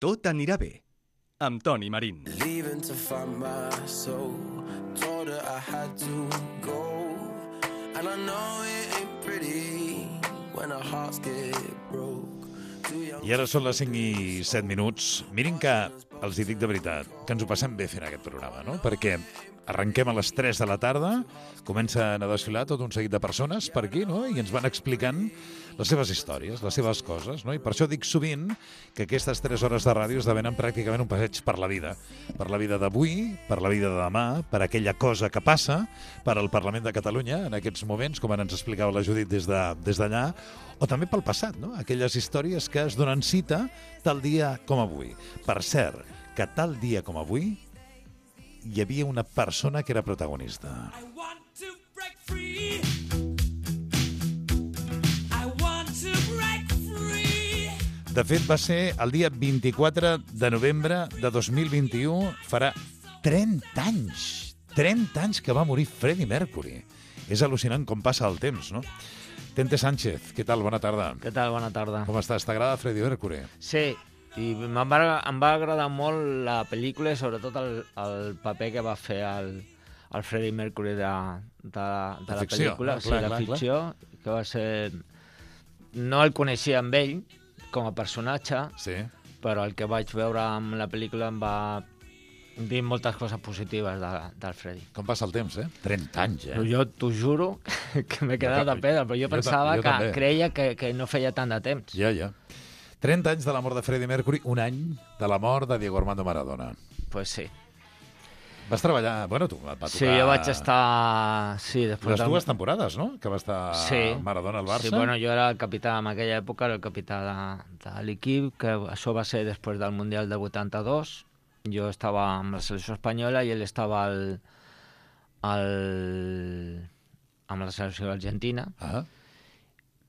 Tot anirà bé, amb Toni Marín. Leaving to find my soul. Told her I had to go. And I know it ain't pretty when our hearts get broke. I ara són les 5 i 7 minuts. Mirin que els hi dic de veritat, que ens ho passem bé fent aquest programa, no? Perquè arrenquem a les 3 de la tarda, comencen a desfilar tot un seguit de persones per aquí, no? I ens van explicant les seves històries, les seves coses, no? I per això dic sovint que aquestes 3 hores de ràdio esdevenen pràcticament un passeig per la vida d'avui, per la vida de demà, per aquella cosa que passa, per al Parlament de Catalunya en aquests moments, com ens explicava la Judit des d'allà, o també pel passat, no? Aquelles històries que es donen cita tal dia com avui. Per cert, que tal dia com avui hi havia una persona que era protagonista. I want to break free. De fet, va ser el dia 24 de novembre de 2021, farà 30 anys. 30 anys que va morir Freddie Mercury. És al·lucinant com passa el temps, no? Tente Sánchez, què tal? Bona tarda. Què tal? Bona tarda. Com estàs? T'agrada Freddie Mercury? Sí, i em va agradar molt la pel·lícula i sobretot el paper que va fer el Freddie Mercury de la ficció, pel·lícula. no? Sí, la ficció, que va ser... No el coneixia amb ell com a personatge, Sí. però el que vaig veure amb la pel·lícula em va dir moltes coses positives del Freddie. Com passa el temps, eh? 30 anys, eh? Jo t'ho juro que m'he quedat de pedra, però jo pensava jo que també. creia que no feia tant de temps. Ja. 30 anys de la mort de Freddie Mercury, un any de la mort de Diego Armando Maradona. Pues sí. Vas treballar... Bueno, tu va tocar... Sí, jo vaig estar... Sí, després Les dues temporades, no? Que va estar Maradona al Barça. Sí, bueno, jo era el capità, en aquella època era el capità de l'equip, que això va ser després del Mundial de 82. Jo estava amb la selecció espanyola i ell estava amb la selecció argentina. Ah.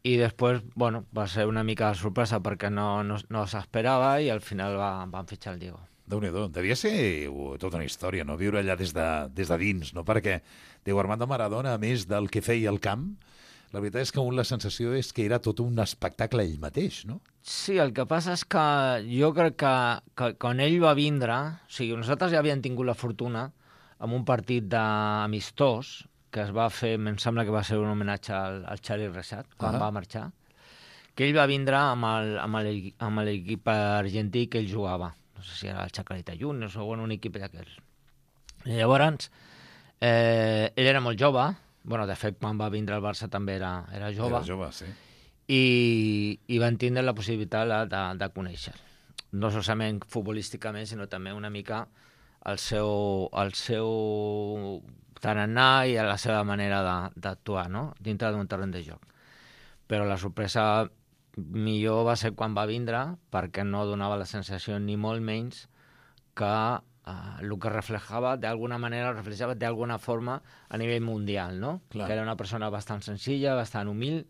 I després, bueno, va ser una mica de sorpresa perquè no s'esperava i al final van fitxar el Diego. Déu-n'hi-do. Devia ser tota una història, no? Viure allà des de dins, no? Perquè Diego Armando Maradona, a més del que feia al camp, la veritat és que la sensació és que era tot un espectacle ell mateix, no? Sí, el que passa és que jo crec que quan ell va vindre... O sigui, nosaltres ja havíem tingut la fortuna amb un partit d'amistós que es va fer, em sembla que va ser un homenatge al Charlie Rexach, quan va marxar, que ell va vindre amb l'equip argentí que ell jugava. No sé si era el Chacarita Juniors o un equip d'aquells. I llavors, ell era molt jove, bueno, de fet, quan va vindre al Barça també era jove. Era jove, sí. I van tindre la possibilitat de conèixer. No solament futbolísticament, sinó també una mica el seu tarannà i la seva manera d'actuar, no? Dintre d'un terreny de joc. Però la sorpresa millor va ser quan va vindre, perquè no donava la sensació ni molt menys que el que reflejava d'alguna forma a nivell mundial, no? Clar. Que era una persona bastant senzilla, bastant humil,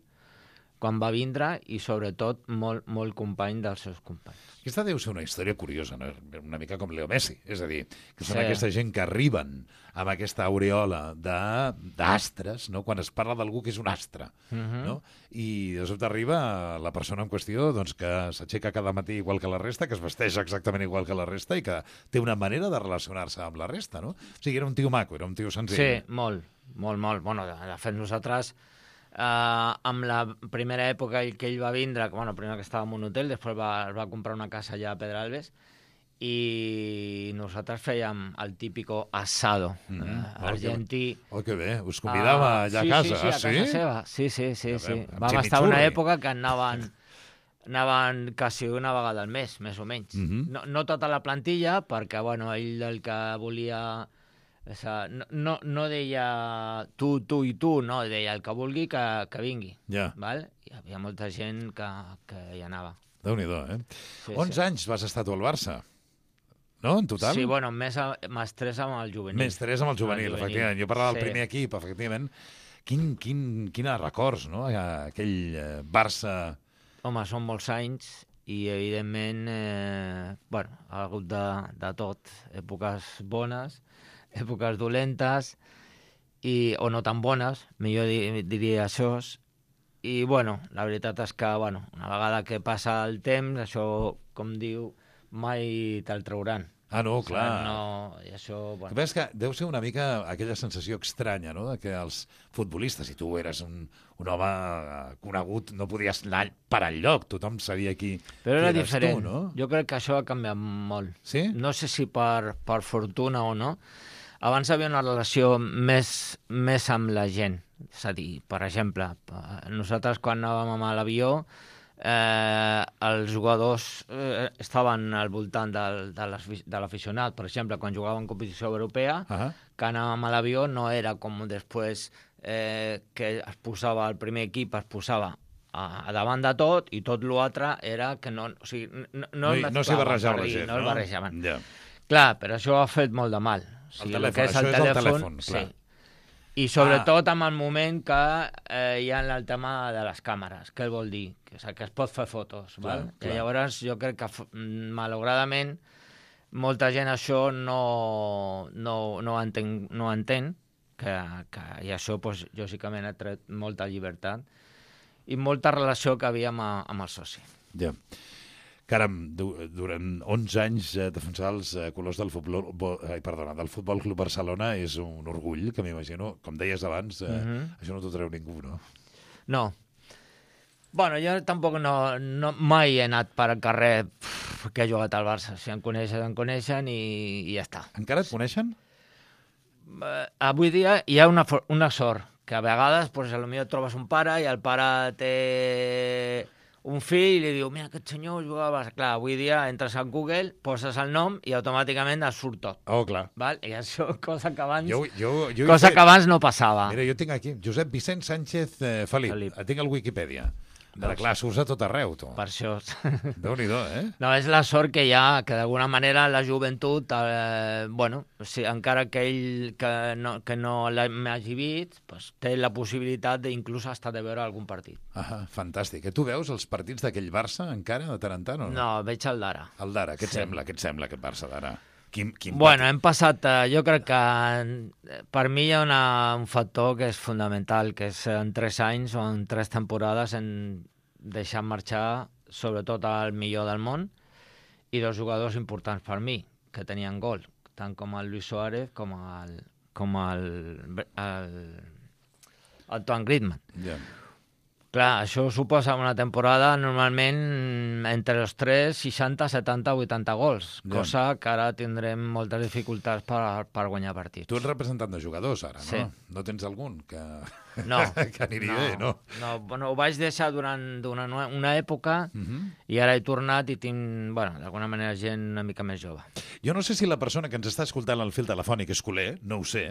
quan va vindre i, sobretot, molt, molt company dels seus companys. Aquesta deu ser una història curiosa, no? Una mica com Leo Messi. És a dir, que són Sí. aquesta gent que arriben amb aquesta aureola d'astres, no? Quan es parla d'algú que és un astre, no? I de sobte arriba la persona en qüestió doncs, que s'aixeca cada matí igual que la resta, que es vesteix exactament igual que la resta i que té una manera de relacionar-se amb la resta, no? O sigui, era un tio maco, era un tio senzill. Sí, molt. Bueno, de fet, nosaltres, amb la primera època que ell va vindre, bueno, primer que estava en un hotel, després es va comprar una casa allà a Pedralbes, i nosaltres fèiem el típico asado argentí. Oh, que bé, us convidava allà a casa. Sí, a casa seva. Sí. Vam estar una època que anaven quasi una vegada al mes, més o menys. No tota la plantilla, perquè bueno, ell el que volia... No deia tu i tu, no, deia el que vulgui que vingui. Ja. Val? Hi havia molta gent que hi anava. Déu-n'hi-do, eh? Sí, 11 anys vas estar tu al Barça, no, en total? Sí, bueno, més 3 amb el juvenil. Més 3 amb el juvenil, efectivament. Jo parlava del primer equip, efectivament. Quins records, no? Aquell Barça... Home, són molts anys i, evidentment, ha hagut de tot. Èpoques bones, èpoques dolentes, o no tan bones, millor diria això. I, la veritat és que, una vegada que passa el temps, això, com diu, mai te'l trauran. Ah, no, O sigui, clar. No, i això, El que bueno. passa és que deu ser una mica aquella sensació estranya, no?, de que els futbolistes, si tu eres un home conegut, no podies anar per enlloc, tothom sabia qui Però qui era eres diferent. Tu, no? Jo crec que això ha canviat molt. Sí? No sé si per fortuna o no. Abans hi havia una relació més amb la gent. És a dir, per exemple, nosaltres quan anàvem amb l'avió, els jugadors estaven al voltant de l'aficionat. Per exemple, quan jugaven en competició europea, que anàvem a l'avió, no era com després que es posava el primer equip, es posava a davant de tot, i tot l'altre era que no... O sigui, No s'hi barrejava la gent, no? No es barrejaven. Ja. Clar, però això ha fet molt de mal. O sigui, El el que telèfon, és això és el telèfon, clar. sí. I sobretot amb el moment que hi ha el tema de les càmeres. Què vol dir? Que es pot fer fotos. Clar, Val? clar. I llavors jo crec que, malauradament, molta gent això no entén que i això, doncs, lògicament, ha tret molta llibertat i molta relació que havia amb el soci. Ja. Caram, durant 11 anys defensar els colors del Futbol Club Barcelona és un orgull, que m'imagino, com deies abans, això no t'ho treu ningú, no? No. Bueno, jo tampoc mai he anat per al carrer que he jugat al Barça. Si em coneixen i ja està. Encara et coneixen? Avui dia hi ha una sort, que a vegades potser potser trobes un pare i el pare té un fill i li diu, mira, aquest senyor jugava al Barça. Clar, avui dia entres a Google, poses el nom i automàticament et surt tot. Oh, clar. Val? I això, cosa que abans, Jo que abans no passava. Mira, jo tinc aquí Josep Vicent Sánchez Felip. El tinc al Wikipedia. Però clar, surts a tot arreu, tu. Per això. Déu-n'hi-do, No, és la sort que hi ha, que d'alguna manera la joventut, bueno, o sigui, encara que ell que no l'hagi vist, pues, té la possibilitat d'inclús estar de veure algun partit. Fantàstic. Tu veus els partits d'aquell Barça encara, de tant en tant, o no? No, veig el d'ara. El d'ara, què et sembla? Què et sembla aquest Barça d'ara? Bueno, hem passat... Jo crec que per mi hi ha un factor que és fonamental, que és en 3 anys o en 3 temporades en deixar marxar sobretot el millor del món i 2 jugadors importants per mi, que tenien gol, tant com el Luis Suárez com el Antoine Griezmann. Ja. Clar, això suposa una temporada normalment entre els 3, 60, 70, 80 gols, cosa que ara tindrem moltes dificultats per guanyar partits. Tu ets representant de jugadors, ara, no? Sí. No tens algun que que aniria bé, no? No, bueno, ho vaig deixar durant una època i ara he tornat i tinc, bueno, d'alguna manera gent una mica més jove. Jo no sé si la persona que ens està escoltant al fil telefònic és culer, no ho sé.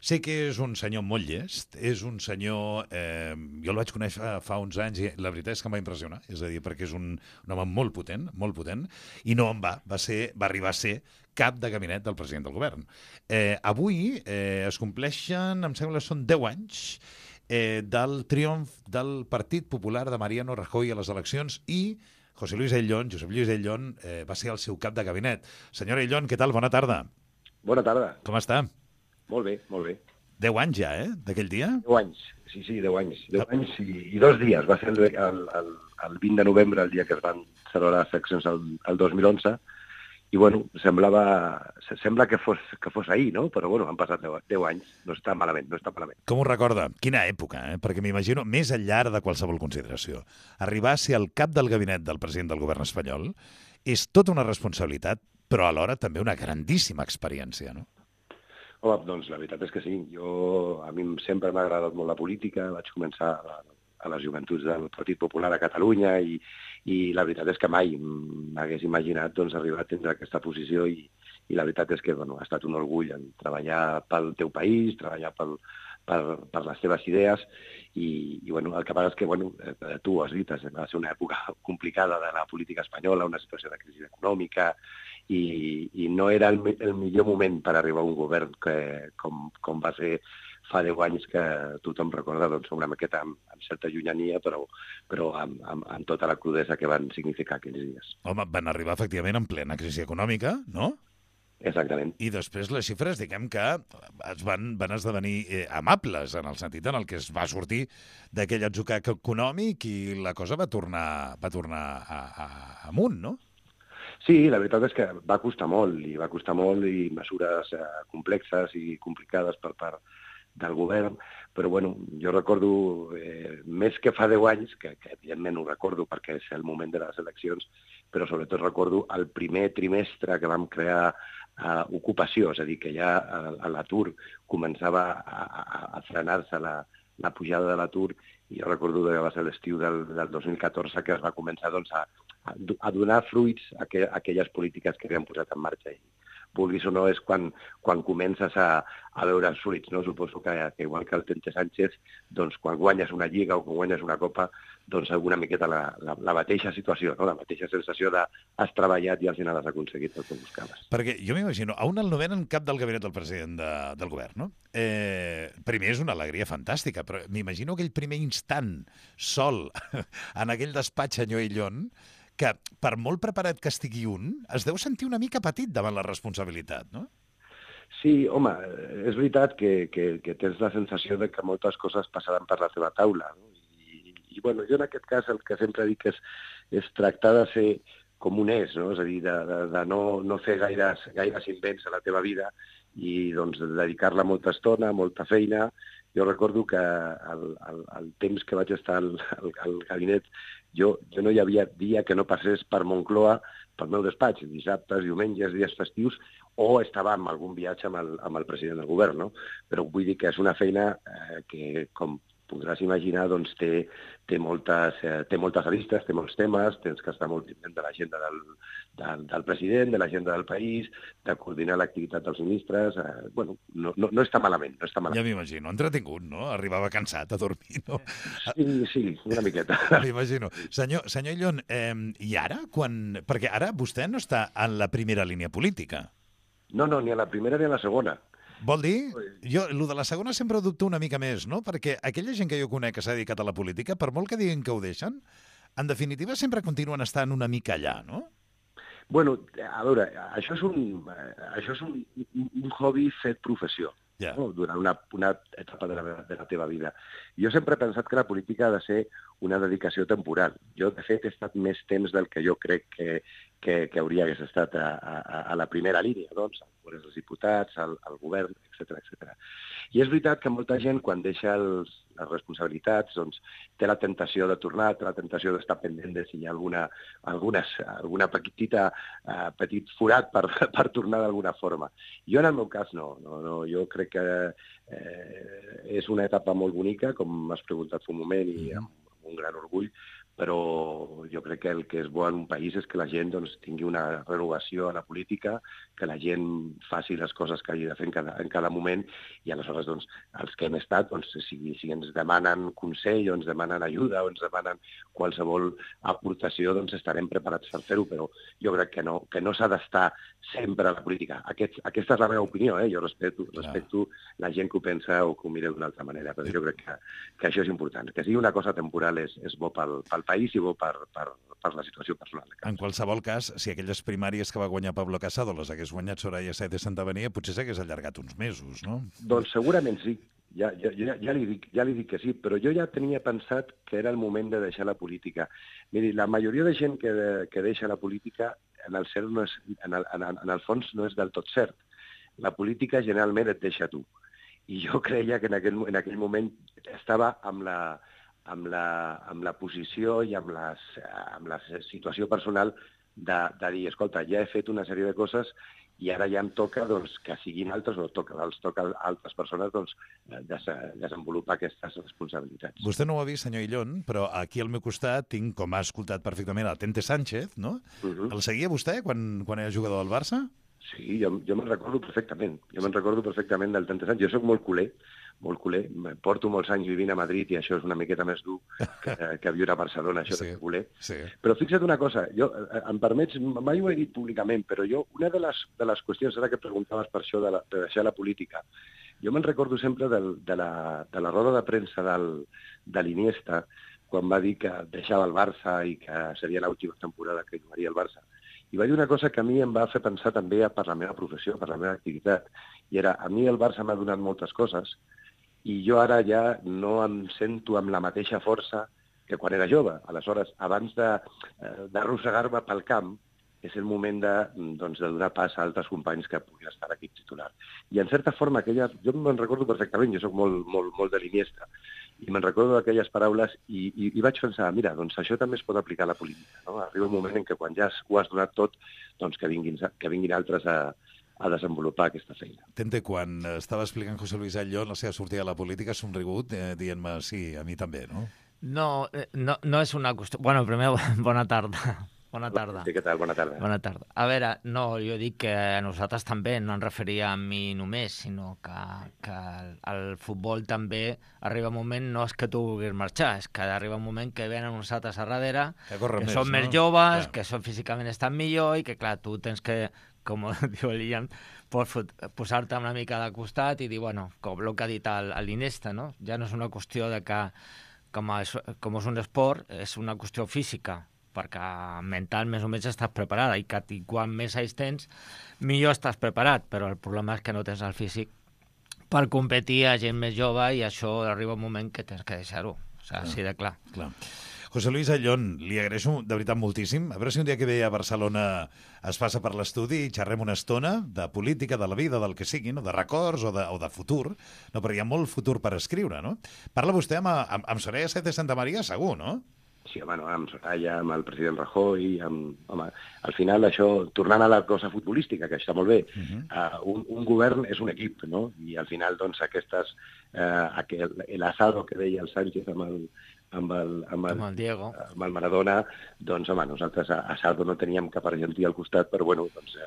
Sé que és un senyor molt llest, és un senyor... jo el vaig conèixer fa uns anys i la veritat és que em va impressionar, és a dir, perquè és un home molt potent, i no en va arribar a ser cap de gabinet del president del govern. Avui es compleixen, em sembla, són 10 anys del triomf del Partit Popular de Mariano Rajoy a les eleccions i Josep Lluís Ayllón va ser el seu cap de gabinet. Senyora Ayllón, què tal? Bona tarda. Bona tarda. Com està? Molt bé, molt bé. 10 anys ja, d'aquell dia? 10 anys, sí, 10 anys. 10 anys i 2 dies. Va ser el 20 de novembre, el dia que es van celebrar les eleccions el 2011, i bueno, sembla que fos ahir, no? Però bueno, han passat 10 anys, no està malament. Com ho recorda? Quina època, Perquè m'imagino, més enllà de qualsevol consideració, arribar a ser el cap del gabinet del president del govern espanyol és tota una responsabilitat, però alhora també una grandíssima experiència, no? Home, doncs la veritat és que sí. A mi sempre m'ha agradat molt la política, vaig començar a les joventuts del Partit Popular a Catalunya i la veritat és que mai m'hagués imaginat arribar a tindre aquesta posició i la veritat és que ha estat un orgull en treballar pel teu país, treballar per les teves idees i el que passa és que tu ho has dit, va ser una època complicada de la política espanyola, una situació de crisi econòmica i no era el millor moment per arribar a un govern com va ser fa 10 anys, que tothom recorda una maqueta amb certa llunyania, però amb tota la crudesa que van significar aquells dies. Home, van arribar efectivament en plena crisi econòmica, no? Exactament. I després les xifres, diguem que van esdevenir amables, en el sentit en el que es va sortir d'aquell atzucac econòmic i la cosa va tornar amunt, no? Sí, la veritat és que va costar molt, i mesures complexes i complicades per part del govern, però bueno, jo recordo, més que fa 10 anys, que evidentment ho recordo perquè és el moment de les eleccions, però sobretot recordo el primer trimestre que vam crear ocupació, és a dir, que ja l'atur començava a frenar-se la pujada de l'atur, i jo recordo que va ser l'estiu del 2014 que es va començar doncs, a donar fruits a aquelles polítiques que havien posat en marxa. I vulguis o no, és quan comences a veure els fruits, no? Suposo que igual que el Tente Sánchez, doncs quan guanyes una lliga o quan guanyes una copa, doncs una miqueta la mateixa situació, no? La mateixa sensació de has treballat i al final has aconseguit el que buscaves. Perquè jo m'imagino, a un el nomenen cap del gabinet del president del govern, no? Primer és una alegria fantàstica, però m'imagino aquell primer instant sol en aquell despatx senyor Illón, que per molt preparat que estigui es deu sentir una mica petit davant la responsabilitat, no? Sí, home, és veritat que tens la sensació de que moltes coses passaran per la teva taula, no? I bueno, jo en aquest cas el que sempre dic és tractar de ser com un és, no? És a dir, de no fer gaires invents a la teva vida i doncs dedicar-la molta estona, molta feina. Jo recordo que el temps que vaig estar al gabinet, jo no hi havia dia que no passés per Moncloa, pel meu despatx, dissabtes, diumenges, dies festius, o estava en algun viatge amb el president del govern, no? Però vull dir que és una feina que, com podràs imaginar, doncs té moltes aristes, té molts temes, tens que estar molt pendent de l'agenda del president, de l'agenda del país, de coordinar l'activitat dels ministres. Bueno, no està malament, no està malament. Ja m'imagino, entretingut, no? Arribava cansat a dormir, no? Sí, una miqueta. M'imagino. Senyor Illón, i ara? Perquè ara vostè no està en la primera línia política. No, ni a la primera ni a la segona. Vol dir? Jo, el de la segona sempre ho dubto una mica més, no? Perquè aquella gent que jo conec que s'ha dedicat a la política, per molt que diguin que ho deixen, en definitiva sempre continuen estant una mica allà, no? Bueno, a veure, això és un hobby fet professió, no? Durant una etapa de la teva vida. Jo sempre he pensat que la política ha de ser una dedicació temporal. Jo, de fet, he estat més temps del que jo crec que hauria hagués estat a la primera línia, doncs, al Congrés dels Diputats, al govern, etc. I és veritat que molta gent, quan deixa les responsabilitats, doncs, té la tentació de tornar, té la tentació d'estar pendent de si hi ha alguna petit forat per tornar d'alguna forma. Jo, en el meu cas, no. Jo crec que és una etapa molt bonica, com m'has preguntat fa un moment, i amb un gran orgull, però jo crec que el que és bo en un país és que la gent doncs, tingui una renovació a la política, que la gent faci les coses que hagi de fer en cada moment, i aleshores doncs, els que hem estat, doncs, si ens demanen consell o ens demanen ajuda o ens demanen qualsevol aportació, doncs estarem preparats per fer-ho, però jo crec que no s'ha d'estar sempre a la política. Aquesta és la meva opinió, jo respecto la gent que ho pensa o que ho mira d'una altra manera, però jo crec que això és important. Que sigui una cosa temporal és bo pel país i bo per la situació personal. En qualsevol cas, si aquelles primàries que va guanyar Pablo Casado les hagués guanyat Soraya Sáenz de Santamaría, potser s'hagués allargat uns mesos, no? Doncs segurament sí. Ja li dic que sí, però jo ja tenia pensat que era el moment de deixar la política. Miri, la majoria de gent que deixa la política, en el fons no és del tot cert. La política generalment et deixa tu. I jo creia que en aquell moment estava amb la posició i amb la situació personal de dir, escolta, ja he fet una sèrie de coses i ara ja em toca doncs, que siguin altres, o els toca a altres persones doncs, desenvolupar aquestes responsabilitats. Vostè no ho ha vist, senyor Illón, però aquí al meu costat tinc, com ha escoltat perfectament, el Tente Sánchez, no? El seguia vostè quan era jugador del Barça? Sí, jo me'n recordo perfectament. Del Tente Sánchez. Jo soc molt culer. Porto molts anys vivint a Madrid i això és una miqueta més dur que viure a Barcelona, això de culer. Sí. Però fixa't una cosa, jo, em permets, mai ho he dit públicament, però jo, una de les qüestions, ara que preguntaves per això de deixar la política, jo me'n recordo sempre de la roda de premsa de l'Iniesta, quan va dir que deixava el Barça i que seria l'última temporada que jugaria el Barça. I va dir una cosa que a mi em va fer pensar també per la meva professió, per la meva activitat, i era, a mi el Barça m'ha donat moltes coses, i jo ara ja no em sento amb la mateixa força que quan era jove. Aleshores, abans d'arrossegar-me pel camp, és el moment de donar pas a altres companys que puguin estar a l'equip titular. I en certa forma, jo me'n recordo perfectament, jo sóc molt de l'Iniesta, i me'n recordo d'aquelles paraules i vaig pensar, mira, doncs això també es pot aplicar a la política, no? Arriba un moment en què quan ja ho has donat tot, doncs que vinguin altres a desenvolupar aquesta feina. Tente, quan estava explicant José Luis Ayllón la seva sortida a la política, ha somrigut dient-me sí, a mi també, no? No és una qüestió... Bueno, primer, bona tarda. Bona tarda. Sí, què tal? Bona tarda. Bona tarda. A veure, no, jo dic que a nosaltres també, no em referia a mi només, sinó que el futbol també arriba un moment, no és que tu vulguis marxar, és que arriba un moment que venen uns altres a darrere, que són més joves, que són físicament estan millor i que, clar, tu tens que, com diu el Ian, posar-te una mica de costat i dir, bueno, com el que ha dit l'Iniesta, no? Ja no és una qüestió de que, com és un esport, és una qüestió física, perquè mental més o menys estàs preparada i quan més anys tens, millor estàs preparat, però el problema és que no tens el físic per competir a gent més jove i això arriba un moment que tens que deixar-ho, o sigui, així de clar. José Luis Ayllón, li agraeixo de veritat moltíssim. A veure si un dia que ve a Barcelona es passa per l'estudi i xerrem una estona de política, de la vida, del que sigui, no? De records o de futur, no? Perquè hi ha molt futur per escriure, no? Parla vostè amb Soraya Sáenz de Santamaría, segur, no? Sí, home, no, amb Soraya, amb el president Rajoy, home, al final això, tornant a la cosa futbolística, que està molt bé, un govern és un equip, no? I al final, doncs, l'asado que deia el Sánchez amb el Diego, amb el Maradona, doncs, home, nosaltres a Saldo no teníem cap argentí al costat, però, bueno, doncs,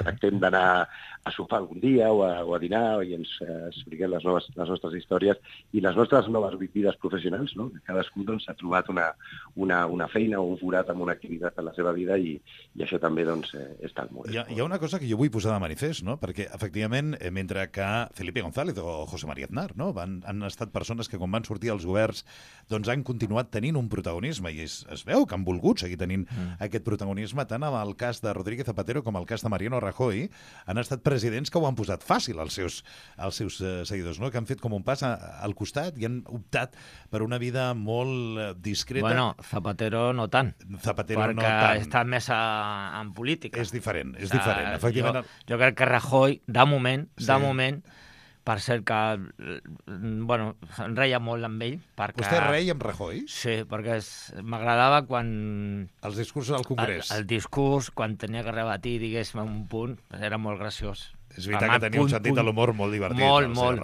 tractem d'anar a sopar algun dia o a dinar i ens expliquem les nostres històries i les nostres noves vides professionals, no? Cadascú, doncs, ha trobat una feina o un forat amb una activitat en la seva vida i això també, doncs, està molt bé. Hi ha una cosa que jo vull posar de manifest, no? Perquè, efectivament, mentre que Felipe González o José María Aznar, no? Han estat persones que, quan van sortir als governs, doncs han continuat tenint un protagonisme i es veu que han volgut seguir tenint aquest protagonisme, tant en el cas de Rodríguez Zapatero com el cas de Mariano Rajoy. Han estat presidents que ho han posat fàcil als seus seguidors, no? Que han fet com un pas al costat i han optat per una vida molt discreta. Bueno, Zapatero no tant, perquè està més en política. És diferent, efectivament. Jo crec que Rajoy, de moment, per cert que, bueno, em reia molt amb ell. Vostè reia amb Rajoy? Sí, perquè m'agradava quan... Els discursos al Congrés. El discurs, quan tenia que rebatir, diguéssim, un punt, era molt graciós. És veritat que tenia un sentit de l'humor molt divertit. Molt.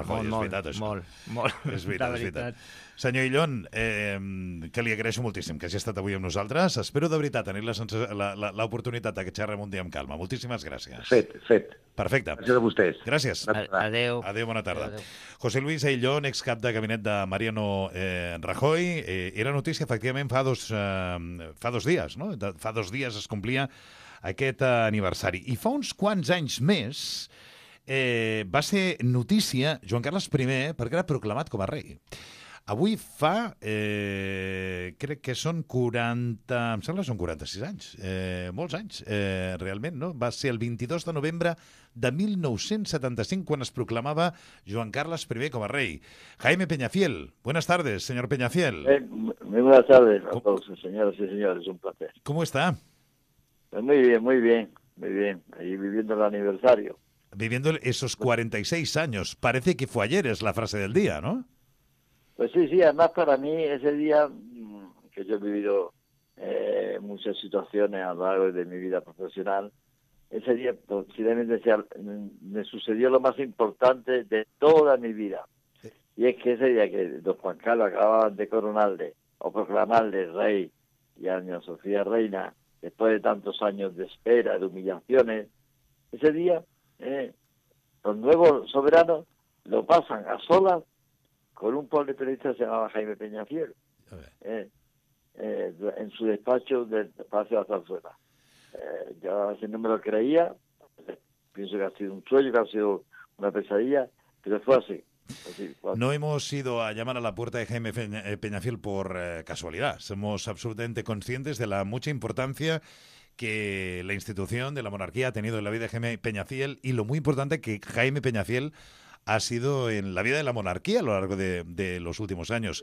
És veritat. Senyor Ayllón, que li agraeixo moltíssim que hagi estat avui amb nosaltres. Espero de veritat tenir l'oportunitat que xerrem un dia amb calma. Moltíssimes gràcies. Fet. Perfecte. Gràcies a vostès. Gràcies. Adéu. Adéu, bona tarda. Adéu. José Luis Ayllón, excap de gabinet de Mariano Rajoy. Era notícia, efectivament, fa dos dies, no? Fa 2 dies es complia aquest aniversari. I fa uns quants anys més va ser notícia Joan Carles I perquè era proclamat com a rei. Avui fa, crec que són 40, em sembla que són 46 anys, molts anys, realment, no? Va ser el 22 de novembre de 1975 quan es proclamava Joan Carles I com a rei. Jaime Peñafiel, buenas tardes, señor Peñafiel. Muy buenas tardes a todos, señoras y señores, un placer. ¿Cómo está? Pues muy bien, ahí viviendo el aniversario. Viviendo esos 46 años, parece que fue ayer, es la frase del día, ¿no? Pues sí, además para mí ese día, que yo he vivido muchas situaciones a lo largo de mi vida profesional, ese día posiblemente me sucedió lo más importante de toda mi vida. Y es que ese día que don Juan Carlos acababan de coronarle o proclamarle rey y a doña Sofía reina, después de tantos años de espera, de humillaciones, ese día los nuevos soberanos lo pasan a solas con un pobre periodista que se llamaba Jaime Peñafiel, en su despacho del Palacio de la Zarzuela. Yo a veces no me lo creía, pienso que ha sido un sueño, que ha sido una pesadilla, pero fue así. No hemos ido a llamar a la puerta de Jaime Peñafiel por casualidad. Somos absolutamente conscientes de la mucha importancia que la institución de la monarquía ha tenido en la vida de Jaime Peñafiel y lo muy importante que Jaime Peñafiel ha sido en la vida de la monarquía a lo largo de los últimos años.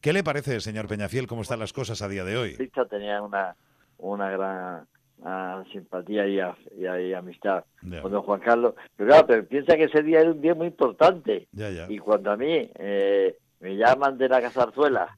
¿Qué le parece, señor Peñafiel, cómo están las cosas a día de hoy? Tenía una gran a simpatía y amistad Ya. con don Juan Carlos. Pero claro, pero piensa que ese día era un día muy importante. Ya, ya. Y cuando a mí me llaman de la Zarzuela,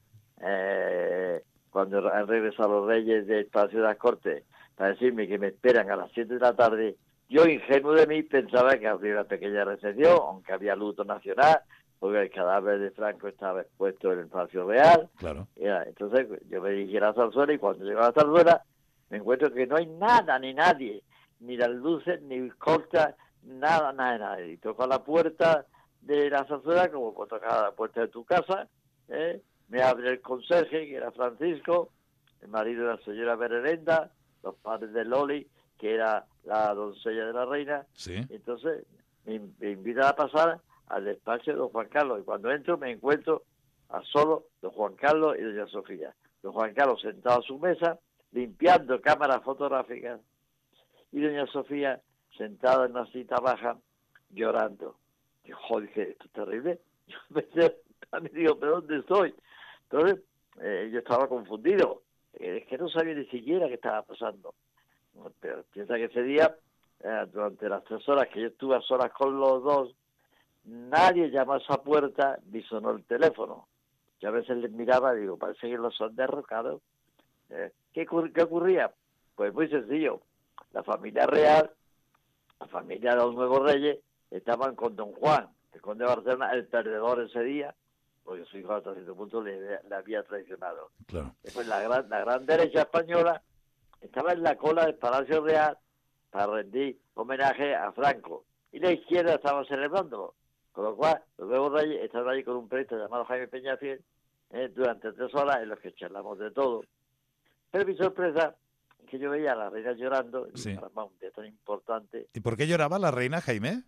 cuando han regresado los reyes del Palacio de las Cortes, para decirme que me esperan a las 7 de la tarde, yo, ingenuo de mí, pensaba que habría una pequeña recepción, aunque había luto nacional, porque el cadáver de Franco estaba expuesto en el Palacio Real. Claro. Entonces yo me dirigí a la Zarzuela y cuando llego a la Zarzuela me encuentro que no hay nada ni nadie, ni las luces, ni cortas, nada. Y toco a la puerta de la Zarzuela, como cuando toca a la puerta de tu casa, me abre el conserje, que era Francisco, el marido de la señora Bererenda, los padres de Loli, que era la doncella de la reina. Sí. Entonces me invitan a pasar al despacho de don Juan Carlos, y cuando entro me encuentro a solo don Juan Carlos y doña Sofía. Don Juan Carlos sentado a su mesa, limpiando cámaras fotográficas, y doña Sofía sentada en una cita baja, llorando. Digo, joder, que esto es terrible. Yo me digo, ¿pero dónde estoy? Entonces, yo estaba confundido. Es que no sabía ni siquiera qué estaba pasando. Pero piensa que ese día, durante las 3 horas que yo estuve a solas con los dos, nadie llamó a esa puerta ni sonó el teléfono. Yo a veces les miraba y digo, parece que los han derrocado. ¿Qué ocurría? Pues muy sencillo. La familia real, la familia de los nuevos reyes, estaban con don Juan, el conde de Barcelona, el perdedor ese día, porque su hijo hasta cierto punto le había traicionado. Claro. Después la gran derecha española estaba en la cola del Palacio Real para rendir homenaje a Franco. Y la izquierda estaba celebrándolo. Con lo cual, los nuevos reyes estaban allí con un periodista llamado Jaime Peñafiel durante 3 horas en los que charlamos de todo. Pero mi sorpresa es que yo veía a la reina llorando, Sí. y para un día tan importante, ¿Y por qué lloraba la reina, Jaime?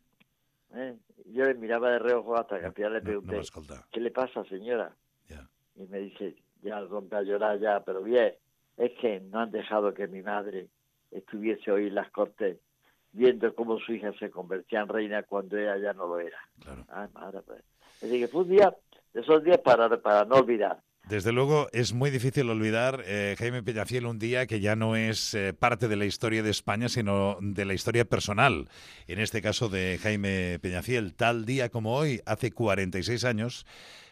yo le miraba de reojo hasta que al final le No pregunté, m'escolta. ¿qué le pasa, señora? Ja. Y me dice, ya rompe a llorar ya, pero bien, es que no han dejado que mi madre estuviese hoy en las Cortes viendo cómo su hija se convertía en reina cuando ella ya no lo era. Claro. Ay, madre, pues. Es decir, que fue un día de esos días para no olvidar. Desde luego es muy difícil olvidar, Jaime Peñafiel, un día que ya no es parte de la historia de España, sino de la historia personal. En este caso de Jaime Peñafiel, tal día como hoy, hace 46 años,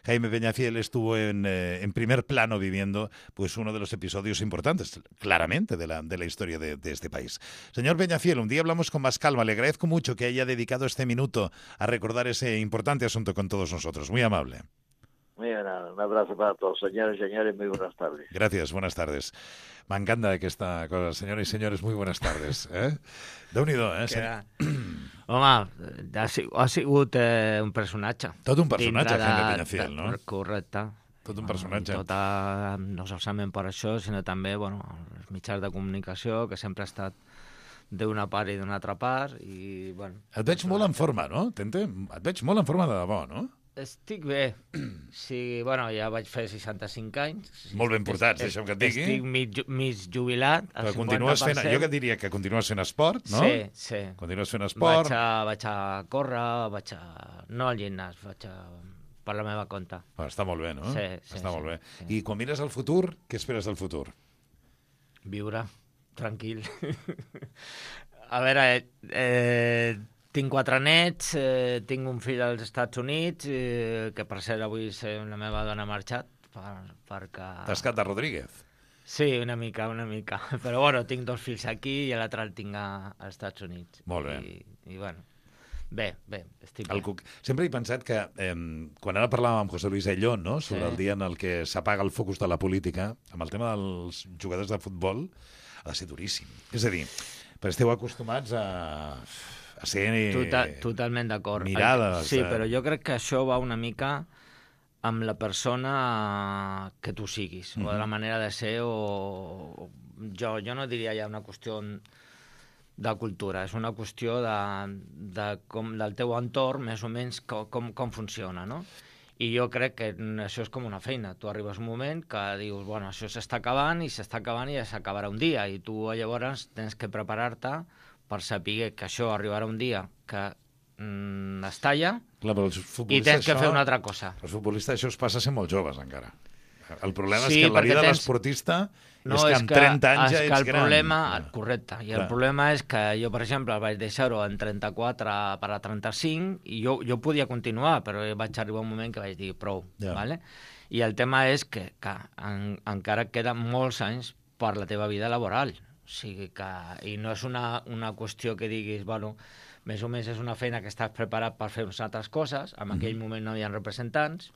Jaime Peñafiel estuvo en primer plano viviendo pues uno de los episodios importantes, claramente, de la historia de este país. Señor Peñafiel, un día hablamos con más calma. Le agradezco mucho que haya dedicado este minuto a recordar ese importante asunto con todos nosotros. Muy amable. Muy bien, un abrazo para todos, señores y señores, muy buenas tardes. Gràcies, bones tardes. M'encanta aquesta cosa. Senyores i senyores, muy buenas tardes. Déu-n'hi-do, Home, ha sigut un personatge. Tot un personatge, Dintre Jaime Peñafiel, no? Correcte. Tot un personatge. Tot no solament per això, sinó també els mitjans de comunicació, que sempre ha estat d'una part i d'una altra part. I, bueno, Et veig molt en forma, no, Tente? Et veig molt en forma de debò, no? estic bé. Sí, bueno, ja vaig fer 65 anys. Molt ben portats, deixa'm que et digui. Estic mig jubilat, al Però continues 50%. fent, jo que et diria que continues fent esport, no? Sí, sí. Continues fent esport. Vaig a córrer, no al gimnàs, vaig a per la meva compte. Està molt bé, no? Sí, sí, Està sí, molt bé. sí. I quan mires al futur, què esperes del futur? Viure, tranquil. A veure, tinc 4 nets, tinc un fill als Estats Units, que per cert avui la meva dona ha marxat, perquè... Tascat de Rodríguez. Sí, una mica. Però bueno, tinc 2 fills aquí i l'altre el tinc als Estats Units. Molt bé. I bueno, bé, estic bé. Sempre he pensat que, quan ara parlàvem amb José Luis Ayllón, no?, sobre el dia en el que s'apaga el focus de la política, amb el tema dels jugadors de futbol, ha de ser duríssim. És a dir, perquè esteu acostumats a ser... Totalment d'acord. Mirades. Sí, però jo crec que això va una mica amb la persona que tu siguis, o de la manera de ser, o... Jo no diria ja una qüestió de cultura, és una qüestió del teu entorn, més o menys, com funciona, no? I jo crec que això és com una feina. Tu arribes un moment que dius, bueno, això s'està acabant i ja s'acabarà un dia, i tu llavors tens que preparar-te per saber que això arribarà un dia que es talla. Clar, però els i tens que fer una altra cosa. Els futbolistes això es passa sent molt joves, encara. El problema Sí, és que la perquè vida de tens- l'esportista No, és que amb 30 anys ja és que ets el gran. problema, Clar. correcte, i Clar. el problema és que jo, per exemple, vaig deixar-ho en 34 per a 35 i jo podia continuar, però vaig arribar un moment que vaig dir prou, Ja. ¿vale? I el tema és que encara queden molts anys per la teva vida laboral. O sigui que, i no és una qüestió que diguis, bueno, més o menys és una feina que estàs preparat per fer unes altres coses, en aquell moment no hi ha representants.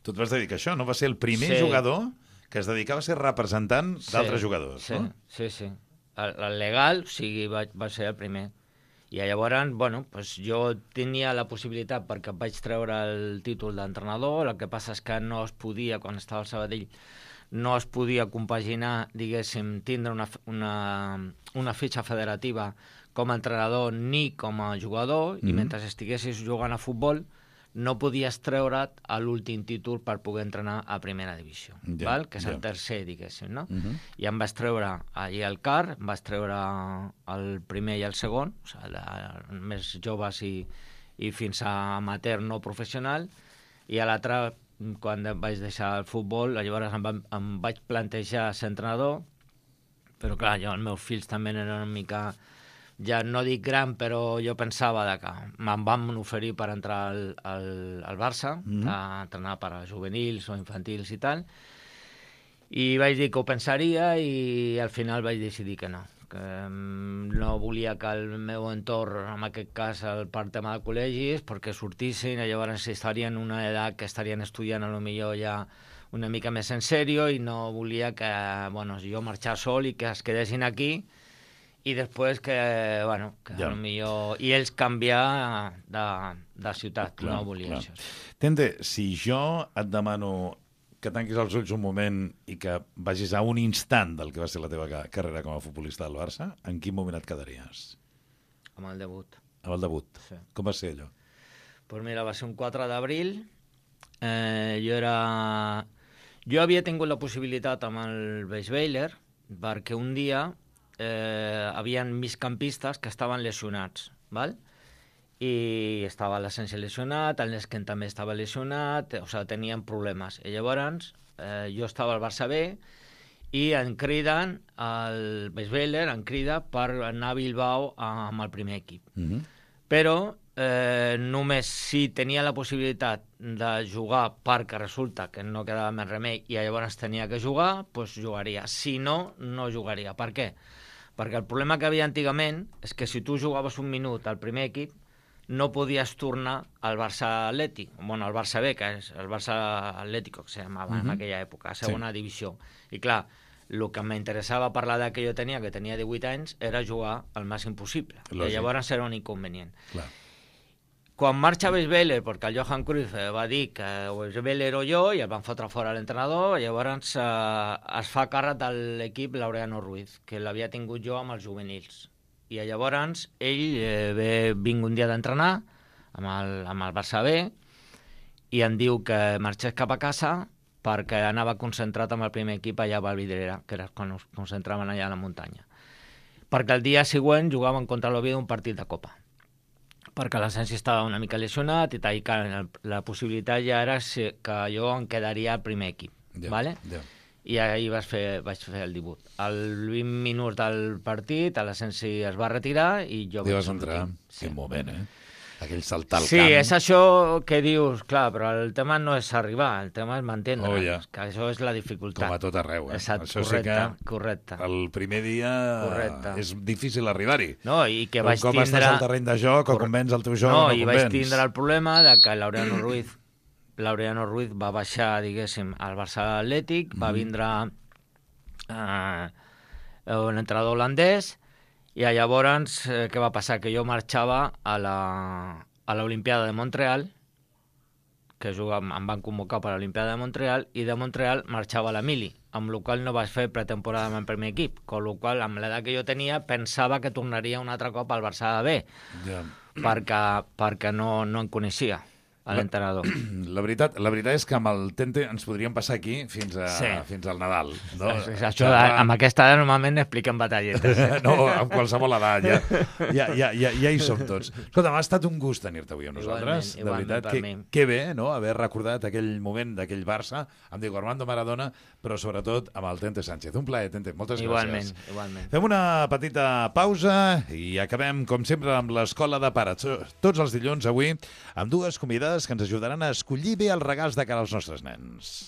Tu et vas dedicar a això, no? Va ser el primer Sí. jugador que es dedicava a ser representant d'altres jugadors, sí, no? Sí, sí. El legal, o sigui, va ser el primer. I llavors, bueno, pues jo tenia la possibilitat, perquè vaig treure el títol d'entrenador, el que passa és que no es podia, quan estava al Sabadell, no es podia compaginar, diguéssim, tindre una fitxa federativa com a entrenador ni com a jugador, i mentre estiguessis jugant a futbol no podies treure't a l'últim títol per poder entrenar a primera divisió, Ja, val? Que és ja. el tercer, diguéssim, no? I em vas treure allí al CAR, em vas treure el primer i el segon, o sigui, més joves i fins a amateur no professional, i a l'altre, quan vaig deixar el futbol, llavors em vaig plantejar ser entrenador, però clar, els meus fills també eren una mica, ja no dic gran, però jo pensava que me'n van oferir per entrar al Barça, a entrenar per a juvenils o infantils i tal, i vaig dir que ho pensaria i al final vaig decidir que no no volia que el meu entorn, en aquest cas per tema de col·legis, perquè sortissin i llavors estarien en una edat que estarien estudiant a lo millor ja una mica més en sèrio i no volia que, bueno, jo marxar sol i que es quedessin aquí i després que, bueno, que Ja. millor... I ells canviar de ciutat, Clar, no volia clar. això. Tente, si jo et demano que tanquis els ulls un moment i que vagis a un instant del que va ser la teva carrera com a futbolista del Barça, en quin moment et quedaries? Amb el debut. Amb el debut. Sí. Com va ser allò? Pues mira, va ser un 4 d'abril. Jo havia tingut la possibilitat amb el Beisweiler perquè un dia havien migcampistes que estaven lesionats, val? I estava l'Essència lesionat, el Nesken també estava lesionat, o sigui, tenien problemes. I llavors jo estava al Barça B i em criden, el Beisweiler em crida per anar a Bilbao amb el primer equip. Però només si tenia la possibilitat de jugar perquè resulta que no quedava més remei i llavors tenia que jugar, doncs jugaria. Si no, no jugaria. Per què? Perquè el problema que havia antigament és que si tu jugaves un minut al primer equip no podies tornar al Barça Atlètic, bueno, al Barça B, que és el Barça Atlético, que se llamava en aquella època, segona divisió. I clar, el que m'interessava per l'edat que jo tenia, que tenia 18 anys, era jugar al màxim possible. Lògic. I llavors era un inconvenient. Clar. Quan marxa Beisweiler, perquè el Johan Cruyff va dir que Beisweiler o jo, i el van fotre fora l'entrenador, llavors es fa càrrec de l'equip Laureano Ruiz, que l'havia tingut jo amb els juvenils. I llavors ell vinc un dia d'entrenar amb el Barça B i em diu que marxés cap a casa perquè anava concentrat amb el primer equip allà a Valvidrera, que era quan es concentraven allà a la muntanya. Perquè el dia següent jugaven contra l'Oviedo un partit de Copa. Perquè l'Essència estava una mica lesionat i tal, i la possibilitat ja era que jo em quedaria al primer equip. Ja, ¿vale? ja. I ahir vaig fer el debut. Al 20 minuts del partit, l'Essència es va retirar i jo Hi vaig vas entrar. sortir. Quin moment, Aquell saltar al Sí, camp. és això que dius, clar, però el tema no és arribar, el tema és mantenir, Oh, ja. que això és la dificultat. Com a tot arreu, Exacte, Això correcte, sí que correcte. el primer dia Correcte. és difícil arribar-hi. No, i que Però vaig com tindre... estàs al terreny de joc, o convenç el teu joc no, o no i convenç. vaig tindre el problema de que Laureano Ruiz va baixar, diguéssim, al Barça Atlètic, va vindre un entrenador holandès, i llavors què va passar? Que jo marxava a l'Olimpiada de Montreal, que em van convocar per a l'Olimpiada de Montreal, i de Montreal marxava a la Mili, amb la qual no vaig fer pretemporada amb el primer equip, amb la qual, amb l'edat que jo tenia, pensava que tornaria un altre cop al Barça B, Ja. perquè no em coneixia. a l'entrenador. La veritat és que amb el Tente ens podríem passar aquí fins al Nadal. No? Això, amb aquesta edat normalment expliquen batalletes. No, amb qualsevol edat, ja hi som tots. Escolta, m'ha estat un gust tenir-te avui amb nosaltres. Igualment, de veritat, que bé, no?, haver recordat aquell moment d'aquell Barça amb Diego Armando Maradona, però sobretot amb el Tente Sánchez. Un plaer, Tente, moltes gràcies. Igualment. Fem una petita pausa i acabem, com sempre, amb l'Escola de Pares. Tots els dilluns avui, amb dues convidades que ens ajudaran a escollir bé els regals de cara als nostres nens.